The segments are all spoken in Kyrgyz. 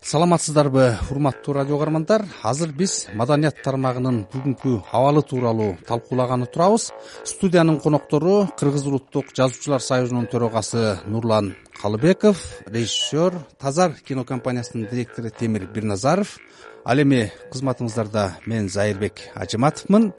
Саламатсыздарбы, урматтуу радио каармандар. Азыр биз маданият тармагынын бүгүнкү абалы тууралуу талкуулаганы турабыз. Студиянын коноктору Кыргыз улуттук жазуучулар союзунун төрагасы Нурлан Калыбеков, режиссер, Тазар кинокомпаниясынын директору Темир Бирназаров. Ал эми кызматыңыздарда мен Зайырбек Ажыматовмун.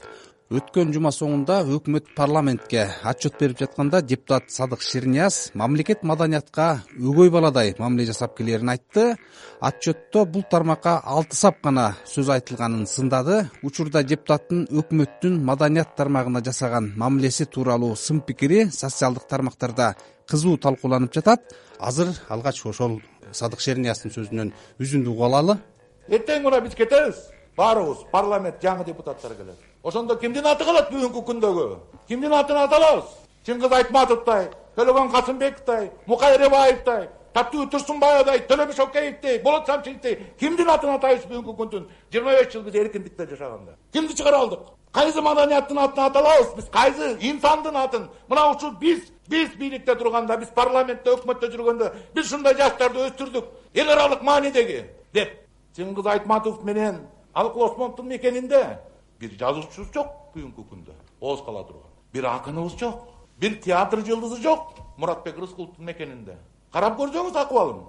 Өткөн жума соңунда өкмөт парламентке отчет берип жатканда депутат Садык Шернияз мамлекет маданиятка өгөй баладай мамиле жасап келерин айтты. Отчетто бул тармакка 6 сап гана сөз айтылганын сындады. Учурда депутаттын өкмөттүн маданият тармагына жасаган мамилеси тууралуу сын пикири социалдык тармактарда кызуу талкууланып жатат. Азыр алгач ошол Садык Шернияздын сөзүнөн үзүндү угуп алалы. Эртең мына биз кетебиз. Баарыбыз парламент жаңы депутаттар келет. Ошондо кимдин аты калат бүгүнкү күндөгү? Кимдин атын аталабыз? Чыңгыз Айтматовдой, Төлөгөн Касымбековдой, Мукай Эребаевдой, Таттуу Турсунбаевдой, Төлөбөш Океевдей, Болот Самчиевдей кимдин атын атайбыз бүгүнкү күндүн 25 жыл биз эркиндикте жашаганда? Кимди чыгара алдык? Кайсы маданияттын атын аталабыз биз? Кайсы инсандын атын? Мына ушул биз бийликте турганда, биз парламентте, өкмөттө жүргөндө биз ушундай жаштарды өстүрдүк. Эл аралык маанидеги деп Чыңгыз Айтматов менен Алыкул Осмоновдун мекенинде бир жазуучубуз жок бүгүнкү күндө. Ооз кала турган. Бир акыныбыз жок. Бир театр жылдызы жок Муратбек Рыскуловдун мекенинде. Карап көрсөңүз акыбалын.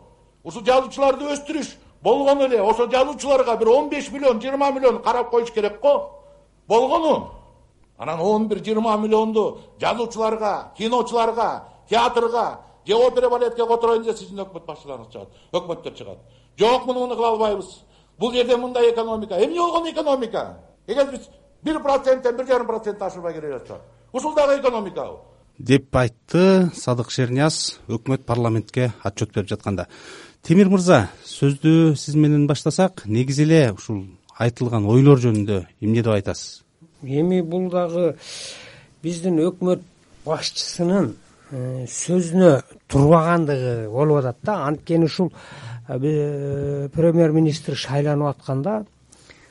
Ушул жазуучуларды өстүрүш болгону эле ошо жазуучуларга бир 15 миллион, 20 миллион карап коюш керек го. Болгону. Анан 11-20 миллионду жазуучуларга, киночуларга, театрга, же опера балетке котороюн десе сиздин өкмөт башчыларыңыз чыгат, өкмөттөр чыгат. Жок, муну кыла албайбыз. Бул жерде мындай экономика. Эмне болгон экономика? Эгер биз 1%-тен 1,5% ашырбай келе жатсак, ушул дагы экономика деп айтты Садык Шернияз өкмөт парламентке отчет берип жатканда. Темир мырза, сөздү сиз менен баштасак, негизи эле ушул айтылган ойлор жөнүндө эмне деп айтасыз? Эми бул дагы биздин өкмөт башчысынын сөзүнө турбагандыгы болуп атат да. Анткени ушул премьер-министр шайланып атканда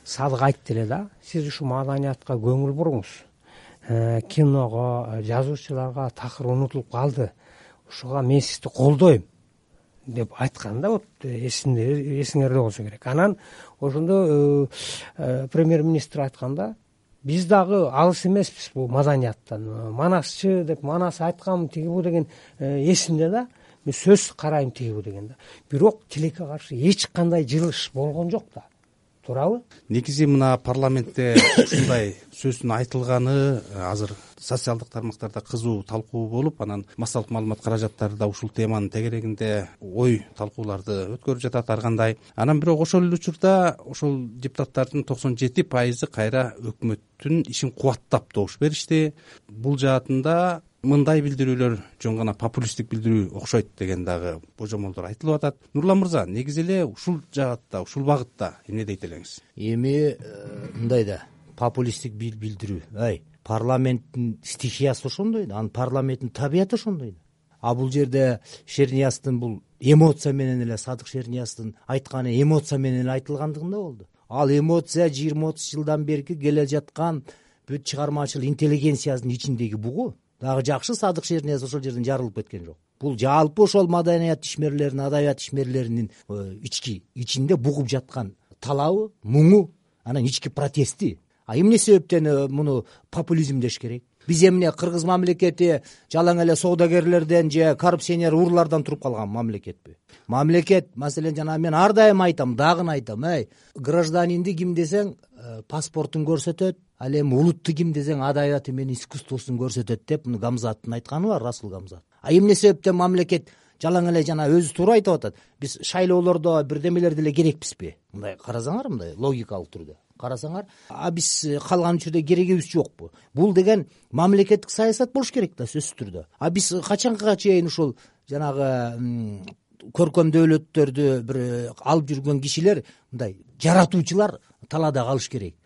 Садык айтты эле да, сиз ушу маданиятка көңүл буруңуз. Киного, жазуучуларга такыр унутулуп калды. Ушуга мен сизди колдойм деп айткан да, вот эсиңерде болсо керек. Анан ошондо премьер-министр айтканда биз дагы алыс эмеспиз бул маданияттан. Манасчы деп Манас айткан тигибу деген эсимде да. Мен сөз карайм тигибу деген да. Бирок тилекке каршы эч кандай жылыш болгон жок да. Туурабы? Негизи мына парламентте ушундай сөздүн айтылганы азыр социалдык тармактарда кызуу талкуу болуп, анан массалык маалымат каражаттары да ушул теманын тегерегинде ой талкууларды өткөрүп жатат ар кандай. Анан бирок ошол эле учурда ошол депутаттардын 97% кайра өкмөттүн ишин кубаттап добуш беришти. Бул жаатында мындай билдирүүлөр жөн гана популисттик билдирүү окшойт деген дагы божомолдор айтылып атат. Нурлан мырза, негизи эле ушул жаатта, ушул багытта эмне дейт элеңиз? Эми мындай да популисттик билдирүү. Парламенттин стихиясы ошондой да, анын парламенттин табияты ошондой да. А бул жерде Шернияздын бул эмоция менен эле Садык Шернияздын айтканы эмоция менен эле айтылгандыгында болду. Ал эмоция 20-30 жылдан берки келе жаткан бүт чыгармачыл интеллигенциянын ичиндеги бугу. Дагы жакшы Садык Шернияз ошол жерден жарылып кеткен жок. Бул жалпы ошол маданият ишмерлеринин, адабият ишмерлеринин ичинде бугуп жаткан талабы, муңу, анан ички протести. Эмне себептен муну популизм деш керек? Биз эмне кыргыз мамлекети жалаң эле соодагерлерден же коррупционер урлардан туруп калган мамлекетпи? Мамлекет, маселен, жана мен ар дайым айтам, дагы айтам, гражданинди ким десең паспортун көрсөтөт, ал эми улутту ким десең адабияты менен искусствосун көрсөтөт деп муну Гамзаттын айтканы бар, Расул Гамзат. Эмне себептен мамлекет жалаң эле жана өзү туура айтып атат. Биз шайлоолордо бирдемелер деле керекпизби? Мындай карасаңар, мындай логикалык түрдө карасаңар, биз калган учурда керегибиз жокпу? Бул деген мамлекеттик саясат болуш керек да, сөзсүз түрдө. Биз качанга чейин ушул жанагы көркөм дөөлөттөрдү бир алып жүргөн кишилер, мындай жаратуучулар талаада калыш керек.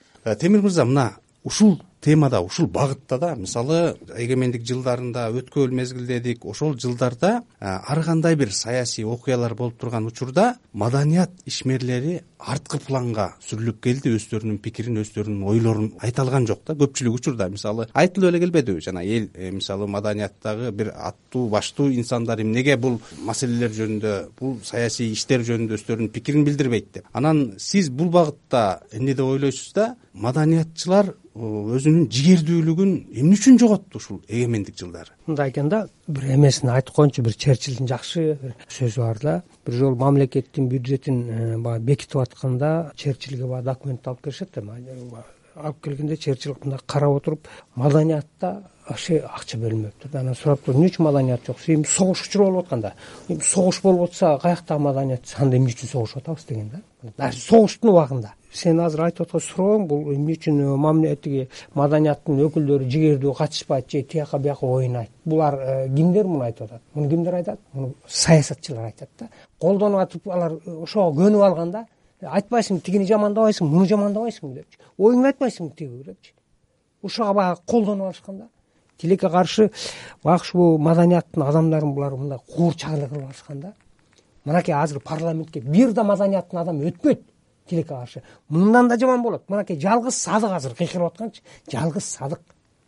Темир мырза, мына ушул темада, ушул багытта да, мисалы эгемендик жылдарында өткөн мезгилде дедик, ошол жылдарда ар кандай бир саясий окуялар болуп турган учурда маданият ишмерлери арткы планга сүрүлүп келди, өздөрүнүн пикирин, өздөрүнүн ойлорун айта алган жок да. Көпчүлүк учурда мисалы айтылып эле келбедиби, жана эл мисалы маданияттагы бир аттуу баштуу инсандар эмнеге бул маселелер жөнүндө, бул саясий иштер жөнүндө өздөрүнүн пикирин билдирбейт деп. Анан сиз бул багытта эмне деп ойлойсуз да, маданиятчылар өзүнүн жигердүүлүгүн эмне үчүн жоготту ушул эгемендик жылдары? Мындай экен да, бир эмесин айтып коеюнчу, бир Черчиллдин жакшы бир сөзү бар да. Бир жолу мамлекеттин бюджетин баягы бекитип атканда Черчиллге баягы документ алып келишет да. Алып келгенде Черчилл мындай карап отуруп, маданиятта вообще акча бөлүнбөптүр да. Анан сураптыр, эмне үчүн маданият жок? Эми согуш учуру болуп атканда, эми согуш болуп атса каяктагы маданият? Анда эмне үчүн согушуп атабыз деген да. Даже согуштун убагында сен азыр айтып аткан сурооң бул эмне үчүн тиги маданияттын өкүлдөрү жигердүү катышпайт же тияка бияка ойнойт? Булар кимдер муну айтып атат? Муну кимдер айтат? Муну саясатчылар айтат да. Колдонуп атып алар ошого көнүп алганда, айтпайсыңбы тигини жамандабайсың, муну жамандабайсың депчи. Оюңду айтпайсыңбы тиги депчи. Ошого баягы колдонуп алышканда, тилекке каршы баягы ушул маданияттын адамдарын булар мындай куурчагылык кылып алышканда, мынакей азыр парламентке бир да маданияттын адамы өтпөйт тилекке каршы. Мындан да жаман болот. Мынакей жалгыз Садык азыр кыйкырып атканчы, жалгыз Садык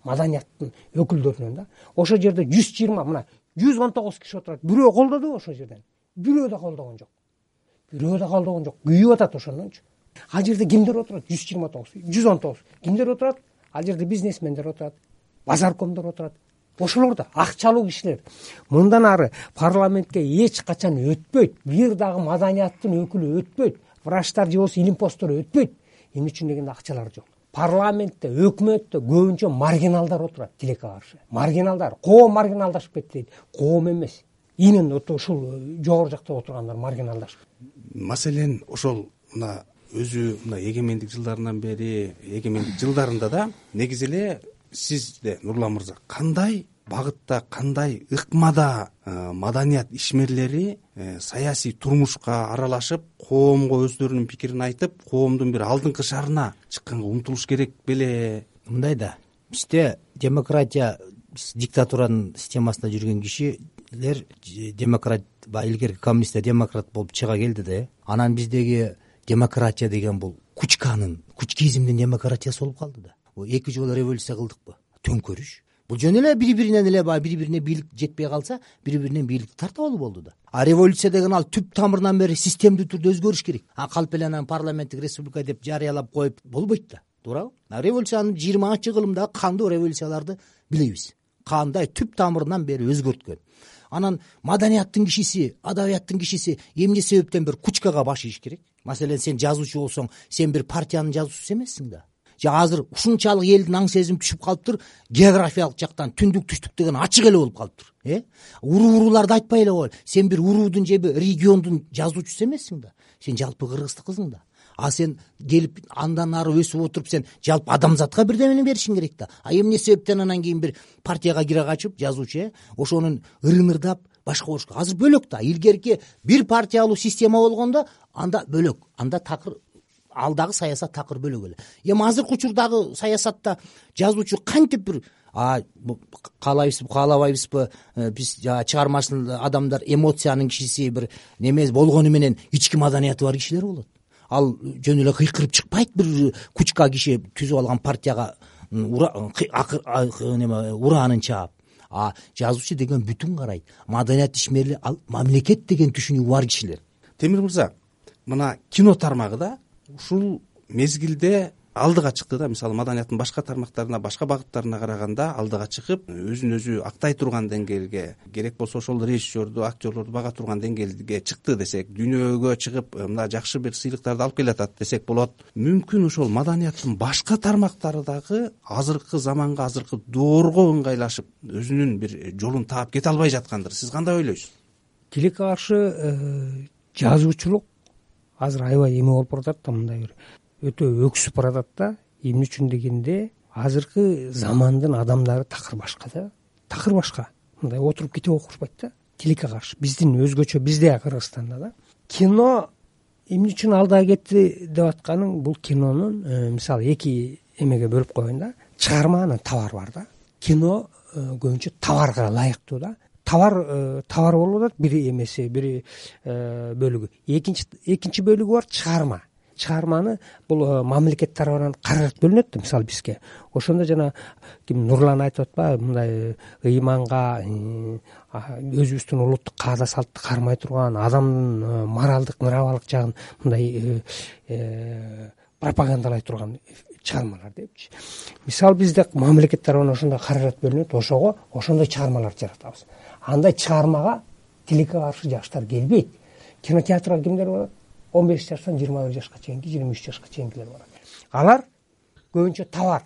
маданияттын өкүлдөрүнөн да. Ошол жерде 120, мына 119 киши отурат. Бирөө колдодубу ошол жерден? Бирөө да колдогон жок. Бирөө да колдогон жок. Күйүп атат ошондончу. Ал жерде кимдер отурат? 129, 119. Кимдер отурат? Ал жерде бизнесмендер отурат, базаркомдор отурат. Ошолор да акчалуу кишилер. Мындан ары парламентке эч качан өтпөйт. Бир дагы маданияттын өкүлү өтпөйт. Врачтар же болбосо илим посттор өтпөйт. Эмне үчүн дегенде акчалар жок. Парламентте, өкмөттө көбүнчө маргиналдар отурат тилекке каршы. Маргиналдар, коом маргиналдашып кетти дейт. Коом эмес. Именно ушул жогору жакта отургандар маргиналдашып. Маселен ошол мына өзү мына эгемендик жылдарынан бери, эгемендик жылдарында да негизи эле сизде Нурлан мырза кандай багытта, кандай ыкмада маданият ишмерлери саясий турмушка аралашып, коомго өздөрүнүн пикирин айтып, коомдун бир алдыңкы шарына чыкканга умтулуш керек беле? Мындай да, бизде демократия, диктатуранын системасында жүргөн кишилер демократ, илгерки коммунисттер демократ болуп чыга келди да. Анан биздеги демократия деген бул кучкизмдин демократиясы болуп калды да. Эки жолу революция кылдыкпы? Төңкөрүш. Бул жөн эле бири-биринен эле бири-бирине бийлик жетпей калса, бири-биринен бийликти тартып алуу болду да. А революция деген ал түп тамырынан бери системдүү түрдө өзгөрүш керек. Калп эле анан парламенттик республика деп жарыялап коюп болбойт да. Туурабы? Революциянын 20-кылымдагы кандуу революцияларды билебиз. Кандай түп тамырынан бери өзгөрткөн. Анан маданияттын кишиси, адабияттын кишиси эмне себептен бир кучкага баш ийиш керек? Маселен, сен жазуучу болсоң, сен бир партиянын жазуучусу эмессиң да. Же азыр ушунчалык элдин аң сезим түшүп калыптыр, географиялык жактан түндүк түштүк деген ачык эле болуп калыптыр. Урууларды айтпай эле кой. Сен бир уруудун же бир региондун жазуучусу эмессиң да. Сен жалпы кыргыздыкысың да. А сен келип андан ары өсүп отуруп, сен жалпы адамзатка бирдемени беришиң керек да. А эмне себептен анан кийин бир партияга кире качып, жазуучу, ошонун ырынырдап башка болушка. Азыр бөлөк да. Илгерки бир партиялуу система болгондо анда бөлөк. Анда такыр алдагы саясат такыр бөлөк эле. Эми азыркы учурдагы саясатта жазуучу кантип бир каалабайбызбы, биз чыгармачыл адамдар эмоциянын кишиси бир неме болгону менен ички маданияты бар кишилер болот. Ал жөн эле кыйкырып чыкпайт, бир кучка киши түзүп алган партияга ураанын чаап. А жазуучу деген бүтүн карайт. Маданият ишмери, ал мамлекет деген түшүнүгү бар кишилер. Темир мырза, мына кино тармагыда ушул мезгилде алдыга чыкты да. Мисалы маданияттын башка тармактарына, башка багыттарына караганда алдыга чыгып, өзүн өзү актай турган деңгээлге, керек болсо ошол режиссерду, актерлорду бага турган деңгээлге чыкты десек, дүйнөгө чыгып, мына жакшы бир сыйлыктарды алып келатат десек болот. Мүмкүн ошол маданияттын башка тармактары дагы азыркы заманга, азыркы доорго ыңгайлашып, өзүнүн бир жолун таап кете албай жаткандыр. Сиз кандай ойлойсуз? Тилекке каршы жазуучулук азыр аябай эме болуп баратат да, мындай бир өтө өксүп баратат да. Эмне үчүн дегенде, азыркы замандын адамдары такыр башка да. Такыр башка. Мындай отуруп китеп окушпайт да. Тилекке каршы биздин өзгөчө, бизде Кыргызстанда да. Кино эмне үчүн алдыга кетти деп атканың, бул кинонун мисалы эки эмеге бөлүп коеюн да. чыгарманын товар бар да. Кино көбүнчө товарга ылайыктуу да. Товар болуп атат бир эмеси, бир бөлүгү. Экинчи бөлүгү бар чыгарма. Чыгарманы бул мамлекет тарабынан каражат бөлүнөт да, мисалы бизге. Ошондо жана ким Нурлан айтып атпайбы, мындай ыйманга, өзүбүздүн улуттук каада салтты кармай турган, адамдын моралдык, мыравалык жагын мындай пропагандалай турган чыгармалар депчи. Мисалы бизде мамлекет тарабынан ошондой каражат бөлүнөт, ошондой чыгармаларды жаратабыз. Андай чыгармага тилекке каршы жаштар келбейт. Кинотеатрга кимдер барат? 15 жаштан 21 жашка чейинки, 23 жашка чейинкилер барат. Алар көбүнчө товар.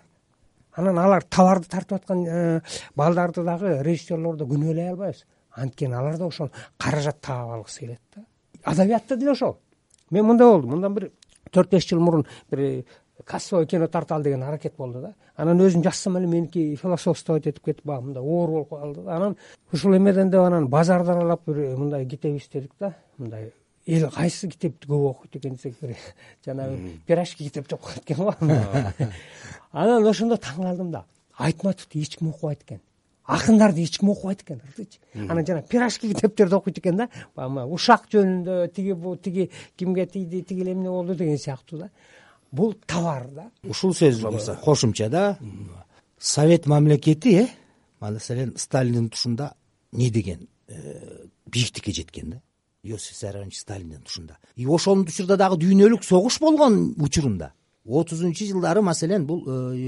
Анан алар товарды тартып аткан балдарды дагы, режиссерлорду күнөөлөй албайбыз. Анткени алар да ошол каражат таап алгысы келет да. Адабиятта деле ошол. Мен мындай болду. Мындан бир 4-5 жыл мурун бир кассовый кино тарталы деген аракет болду да. Анан өзүм жазсам эле меники философство этип кетип, мындай оор болуп калды да. Анан ушул эмеден деп анан базардан алып бир мындай китеп издедик да. Мындай эл кайсы китепти көп окуйт экен десек, жанагы пирожки китеп деп коет экен го. Анан ошондо таң калдым да. Айтматовду эч ким окубайт экен. Акындарды эч ким окубайт экен. Анан жана пирожки китептерди окуйт экен да. Ушак жөнүндө тиги кимге тийди, тиги эле эмне болду деген сыяктуу да. Бул товар да. Ушул сөз кошумча да. Совет мамлекети, маселен Сталиндин тушунда не деген бийиктикке жеткен да. Иосиф Виссарионович Сталиндин тушунда. Ошонун учурда дагы дүйнөлүк согуш болгон учурунда 30-жылдары маселен бул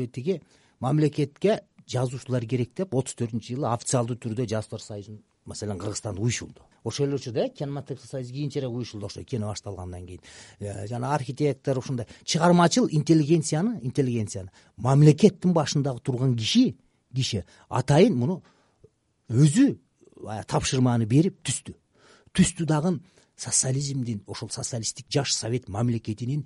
тиги мамлекетке жазуучулар керек деп 34-жылы официалдуу түрдө Жазуучулар союзун маселен Кыргызстанда уюшулду. Ошол эле учурда кинематограф союзу кийинчерээк уюшулду, ошо кино башталгандан кийин. Жана архитектор ушундай чыгармачыл интеллигенцияны мамлекеттин башындагы турган киши атайын муну өзү тапшырманы берип түстү дагы социализмдин, ошол социалисттик жаш совет мамлекетинин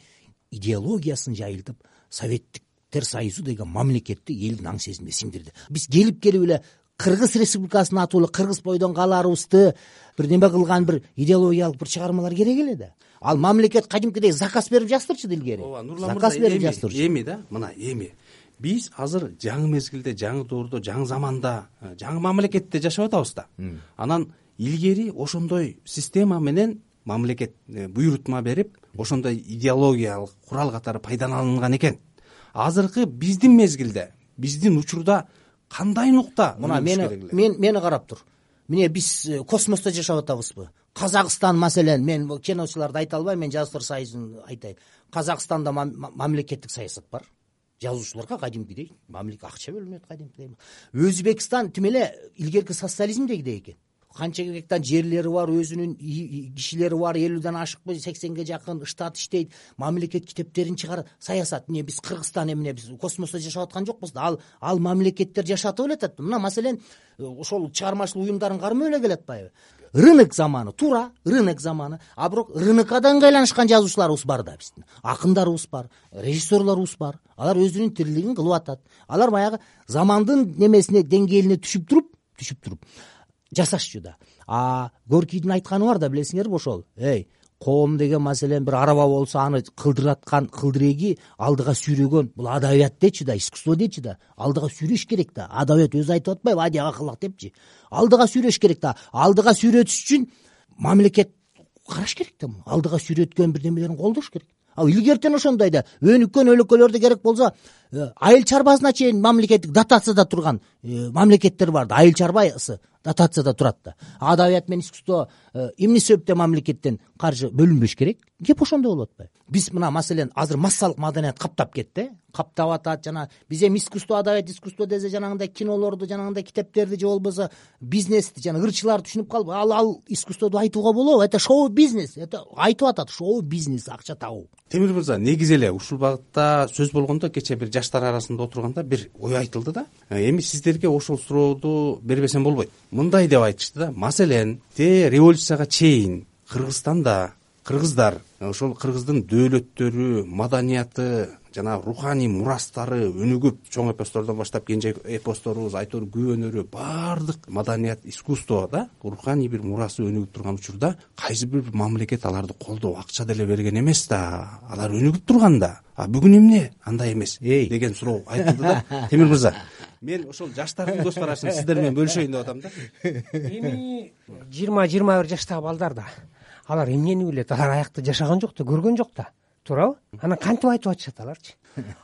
идеологиясын жайылтып, Советтер союзу деген мамлекетти элдин аң сезимине сиңдирди. Биз келип эле Кыргыз Республикасынын атуулы Кыргыз бойдон каларыбызды бир неме кылган бир идеологиялык бир чыгармалар керек эле да. Ал мамлекет кадимкидей заказ берип жаздырчу илгери. Заказ берип жаздырчу. Эми биз азыр жаңы мезгилде, жаңы доордо, жаңы заманда, жаңы мамлекетте жашап атабыз да. Анан илгери ошондой система менен мамлекет буйрутма берип, ошондой идеологиялык курал катары пайдаланган экен. Азыркы биздин мезгилде, биздин учурда кандай нукта? Мени карап тур. Міне биз космосто жашап атабызбы? Казакстан маселен, мен киночуларды айта албайм, мен Жазуучулар союзун айтайын. Казакстанда мамлекеттик саясат бар. Жазуучуларга кадимкидей мамлекет акча бөлүнөт кадимкидей. Өзбекстан тим эле илгерки социализмдегидей экен. Канча гектар жерлери бар, өзүнүн кишилери бар, 50ден ашыкпы 80ге жакын штат иштейт, мамлекет китептерин чыгарат, саясат. Эмне биз Кыргызстан эмне биз космосто жашап аткан жокпуз да. Ал мамлекеттер жашатып эле атат. Мына маселен ошол чыгармачылык уюмдарын кармай эле келет атпайбы? Рынок заманы, туура рынок заманы. А бирок рынокко да ыңгайланышкан жазуучуларыбыз бар да биздин. Акындарыбыз бар, режиссерлорубуз бар. Алар өзүнүн тирилигин кылып атат. Алар баягы замандын немесине, деңгээлине түшүп туруп жасашчу да. Горкийдин айтканы бар да, билесиңерби ошол. Коом деген маселен бир араба болсо, аны кылдыраткан кылдыреги алдыга сүйрөгөн. Бул адабият дечи да, искусство дечи да. Алдыга сүйрөш керек да. Адабият өзү айтып атпайбы, адияга кылак депчи. Алдыга сүйрөш керек да. Алдыга сүйрөтүш үчүн мамлекет караш керек да. Алдыга сүйрөткөн бир немелерин колдош керек. Ал илгертен ошондой да. Өнүккөн өлкөлөрдө керек болсо, айыл чарбасына чейин мамлекеттик дотацияда турган мамлекеттер бар да. Айыл чарбасы дотацияда турат да. Адабият менен искусство эмне себептен мамлекеттен каржы бөлүнбөш керек? Кеп ошондой болуп атпайбы? Биз мына маселен азыр массалык маданият каптап кетти. Каптап атат, жана биз эми искусство, адабият, искусство дезе жанагындай кинолорду, жанагындай китептерди же болбосо бизнести, жана ырчыларды түшүнүп калып, ал искусстводу айтууга болобу? Это шоу-бизнес. Это айтып атат, шоу-бизнес, акча табуу. Темир мырза, негизи эле ушул багытта сөз болгондо кечээ бир жаштар арасында отурганда бир ой айтылды да. Эми сиздерге ошол сурооду бербесем болбойт. Мындай деп айтышты да. Маселен, революцияга чейин Кыргызстанда кыргыздар, ошол кыргыздын дөөлөттөрү, маданияты жанагы руханий мурастары өнүгүп, чоң эпостордон баштап кенже эпосторубуз, Айтор күбөнөрү, баардык маданият, искусство да руханий бир мурасы өнүгүп турган учурда кайсы бир мамлекет аларды колдоп акча деле берген эмес да, алар өнүгүп турган да. А бүгүн эмне андай эмес деген суроо айтылды да. Темир мырза, мен ошол жаштардын көз карашын сиздер менен бөлүшөйүн деп атам да. Эми 20-21 жаштагы балдар да алар эмнени билет, алар аякта жашаган жок да, көргөн жок да, туурабы? Анан кантип айтып атышат аларчы?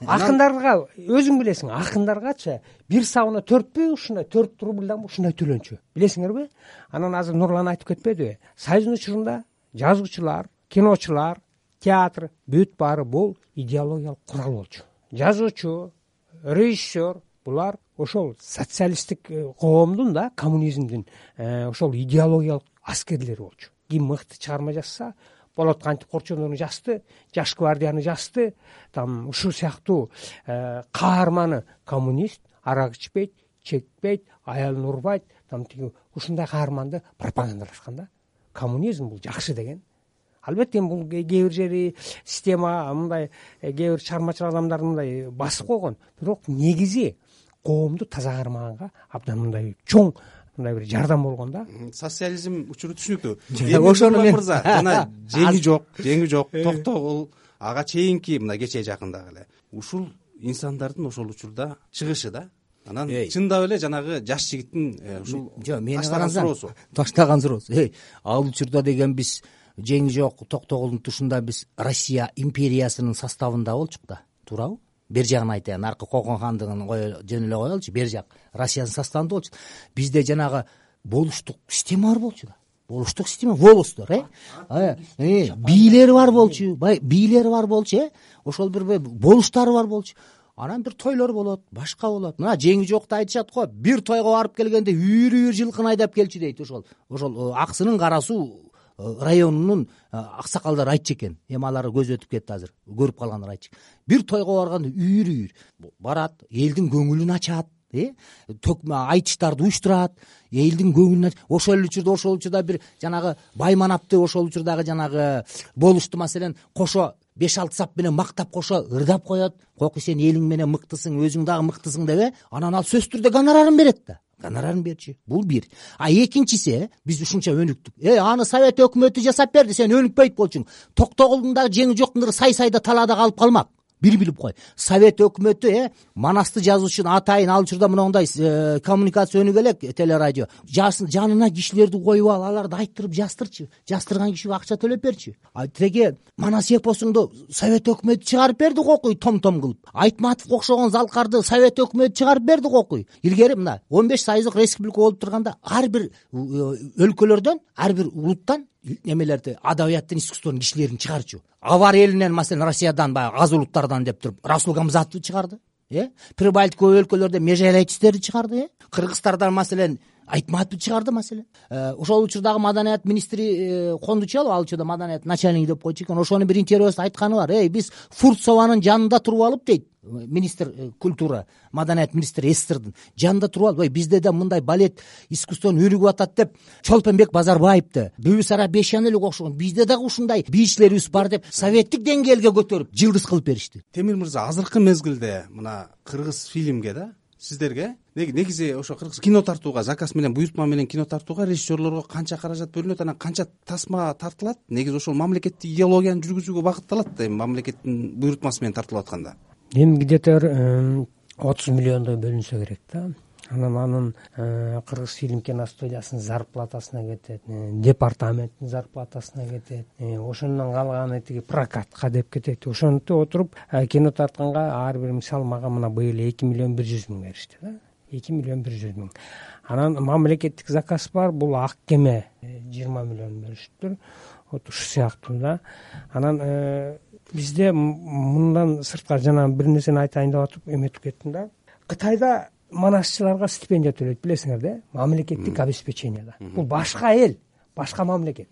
Акындарга өзүң билесиң, акындаргачы бир сабына 4 ушундай 4 рубльдан ушундай төлөнчү, билесиңерби? Анан азыр Нурлан айтып кетпедиби? Союздун учурунда жазуучулар, киночулар, театр бүт баары бул идеологиялык курал болчу. Жазуучу, режиссер булар ошол социалисттик коомдун да, коммунизмдин ошол идеологиялык аскерлери болчу. Ким мыкты чыгарма жазса, Болот кантип Корчондону жазды, Жаш гвардияны жазды, там ушул сыяктуу каарманы коммунист, арак ичпейт, чекпейт, аялын урбайт, там тиги ушундай каарманды пропагандалашкан да. Коммунизм бул жакшы деген. Албетте бул кээ бир жери система мындай кээ бир чыгармачыл адамдар мындай басып койгон, бирок негизи коомду таза кармаганга абдан мындай чоң мындай бир жардам болгон да. Социализм учуру түшүнүктүү. Ошону мен мырза жана жеңи жок, токтогул, ага чейинки мына кечээ жакындагы эле ушул инсандардын ошол учурда чыгышы да. Анан чындап эле жанагы жаш жигиттин ушул мени карасаң таштаган суроосу. Ал учурда деген биз жеңи жок, токтогулдун тушунда биз Россия империясынын составында болчук да, туурабы? Бер жагын айтайын, аркы Кокон хандыгын жөн эле коелучу, бер жак Россиянын составында болчу. Бизде жанагы болуштук система бар болчу да. Болуштук система, волостор, бийлери бар болчу, бийлери бар болчу, ошол бир болуштары бар болчу. Анан бир тойлор болот, башка болот. Мына жеңи жокто айтышат го, бир тойго барып келгенде үйрү жылкын айдап келчү дейт. Ошол Аксынын Кара Суу районунун аксакалдары айтчу экен. Эми алар көз өтүп кетти азыр. Көрүп калгандар айтчу. Бир тойго барганда үйрү барат, элдин көңүлүн ачат, айтыштарды уюштурат, элдин көңүлүн ошол учурда бир жанагы байманапты ошол учурдагы жанагы болушту маселен кошо 5-6 сап менен мактап кошо ырдап коет. Кокуй сен элиң менен мыктысың, өзүң дагы мыктысың деп, анан ал сөзсүз түрдө гонорарын берет да. Гонорарын берчү. Бул бир. Экинчиси, биз ушунча өнүктүк. Аны Совет өкмөтү жасап берди, сен өнүкпөйт болчуң. Токтогулдун дагы жеңи жоктундары сай-сайда талаада калып калмак. Бир билип кой. Совет өкмөтү Манасты жазуучун атайын ал учурда мындай коммуникация өнүгө элек, телерадио. Жанына кишилерди коюп аларды айттырып жастырчы. Жастырган кишиге акча төлөп берчи. Тиги Манас эпосуңду Совет өкмөтү чыгарып берди кокуй, том-том кылып. Айтматов окшогон залкарды Совет өкмөтү чыгарып берди кокуй. Илгери мына 15 сайыздык республика болуп турганда ар бир өлкөлөрдөн, ар бир улуттан немелерди, адабияттын, искусствонун кишилерин чыгарчу. Авар элинен, маселен, Россиядан баягы аз улуттардан деп туруп Расул Гамзатовду чыгарды. Прибалтика өлкөлөрдө Межелечтерди чыгарды. Кыргызстардан, маселен, Айтматовду чыгарды, маселен. Ошол учурдагы маданият министри Кондучалов, ал учурда маданият начальник деп койчу экен. Ошонун бир интервьюсунда айтканы бар. Биз Фурцованын жанында туруп алып дейт. Министр культура, маданият министри СССРдин жанында туруп алып, бизде да мындай балет искусствонун өнүгүп атат деп Чолпонбек Базарбаевди, Бүбүсара Бешен эле окшогон бизде дагы ушундай бийчилерибиз бар деп советтик деңгээлге көтөрүп жылдыз кылып беришти. Темир мырза, азыркы мезгилде мына кыргыз фильмге да сиздерге негизи ошо кыргыз кино тартууга, заказ менен, буйртма менен кино тартууга режиссерлорго канча каражат бөлүнөт, анан канча тасма тартылат? Негизи ошол мамлекеттик идеологияны жүргүзүүгө багытталат эми мамлекеттин буйртмасы менен тартылып атканда. Эми где-то 30 миллиондой бөлүнсө керек да. Анан кыргыз фильм киностудиясынын зарплатасына кетет, департаменттин зарплатасына кетет, ошондон калганы тиги прокатка деп кетет. Ошентип отуруп кино тартканга ар бир, мисалы, мага мына быйыл 2 миллион 100 миң беришти да. 2 миллион 100 миң. Анан мамлекеттик заказ бар, бул Ак кеме 20 миллион беришиптир. Ушу сыяктуу да. Анан бизде мындан сыртка жана бир нерсени айтайын деп атып эметип кеттим да. Кытайда манасчыларга стипендия төлөйт, билесиңер да, мамлекеттик обеспечение да. Бул башка эл, башка мамлекет.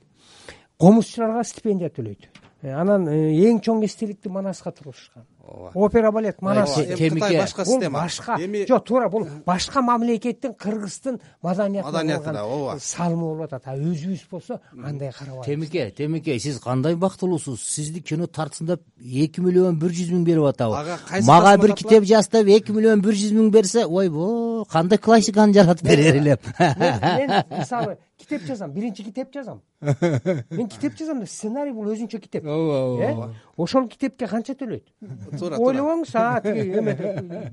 Комузчуларга стипендия төлөйт. Анан эң чоң эстеликти Манаска тургузушкан. опера балет манас Кытай башка бул система. башка Эми жок, туура бул башка мамлекеттин, Кыргыздын маданиятына да, ооба. салымы болуп атат. А өзүбүз болсо андай карабайбыз. Темеке, сиз кандай бактылуусуз? Сизди кино тартсындап 2 миллион 100 миң берип атабы. Ага, кайсы Мага тартсында бир тартылат? китеп жастап 2 миллион 100 миң берсе, ойбо, кандай классиканы жаратып берер элем. Мен мисалы китеп жазам, биринчи китеп жазам. Мен китеп жазам да, сценарий бул өзүнчө китеп. Ошол китепке канча төлөйт? Туура. Ойлобоңуз, эме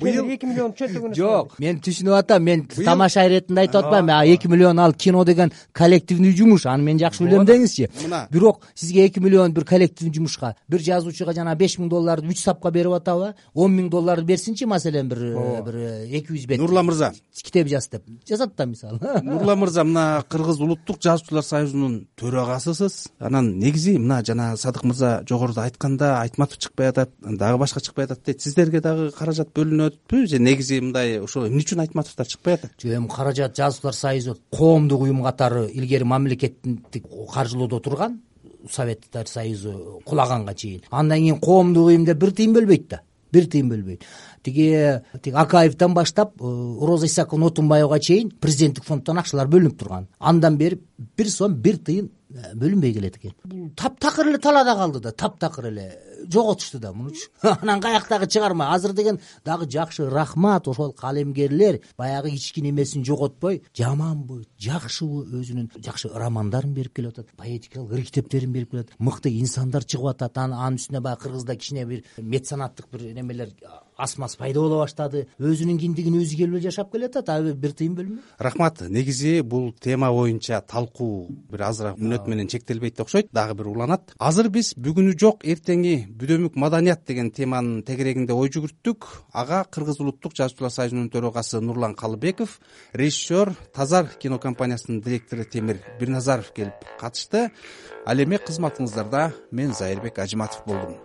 2 миллион чөнтөгүнө. Жок, мен түшүнүп атам. Мен тамаша иретинде айтып атпайм. 2 миллион ал кино деген коллективный жумуш. Аны мен жакшы билем деңизчи. Бирок сизге 2 миллион бир коллективный жумушка, бир жазуучуга жана 5 миң долларды 3 сапка берип атабы? 10 миң долларды берсинчи, маселен бир 200 бет. Нурлан мырза, китеп жаз деп жазат да, мисалы. Нурлан мырза, мына Кыргыз улуттук жазуучулар союзунун төрагасысыз. Анан негизи мына жана Садык мырза жогоруда айтканда, Айтматов чыкпай атат, дагы башка чыкпай атат дейт. Сиздерге дагы каражат бөлүнөтпү же негизи мындай ошо эмне үчүн Айтматовдор чыкпай атат? Эми каражат жазуучулар союзу коомдук уюм катары илгери мамлекеттик каржылоодо турган, Советтер союзу кулаганга чейин. Андан кийин коомдук уюм деп бир тыйын бөлбөйт да. Бир тыйын бөлбөйт. Тиги Акаевден баштап Роза Исаковна Отунбаевага чейин президенттик фонддон акчалар бөлүнүп турган. Андан бери 1 сом 1 тыйын бөлүнбөй келет экен. Таптакыр эле талаада калды да, таптакыр эле жоготушту да мунучу. Анан каяктагы чыгарма. Азыр деген дагы жакшы, рахмат, ошол калемгерлер баягы кичкине эмесин жоготпой, жаманбы, жакшыбы өзүнүн жакшы романдарын берип келип атат, поэтикалык ыр китептерин берип келип атат, мыкты инсандар чыгып атат. Анын үстүнө баягы Кыргызда кичине бир меценаттык бир немелер асмас пайда боло баштады. Өзүнүн киндигин өзү келип жашап келатат, бир тыйын бөлмөй. Рахмат. Негизи бул тема боюнча талкуу бир азыраак мүнөт менен чектелбейт окшойт, дагы бир уланат. Азыр биз бүгүнү жок, эртеңи бүдөмүк маданият деген теманын тегерегинде ой жүгүрттүк. Ага Кыргыз улуттук жазуучулар союзунун төрагасы Нурлан Калыбеков, режиссер Тазар кинокомпаниясынын директору Темир Бирназаров келип катышты. Ал эми кызматыңыздарда мен Зайырбек Ажыматов болдум.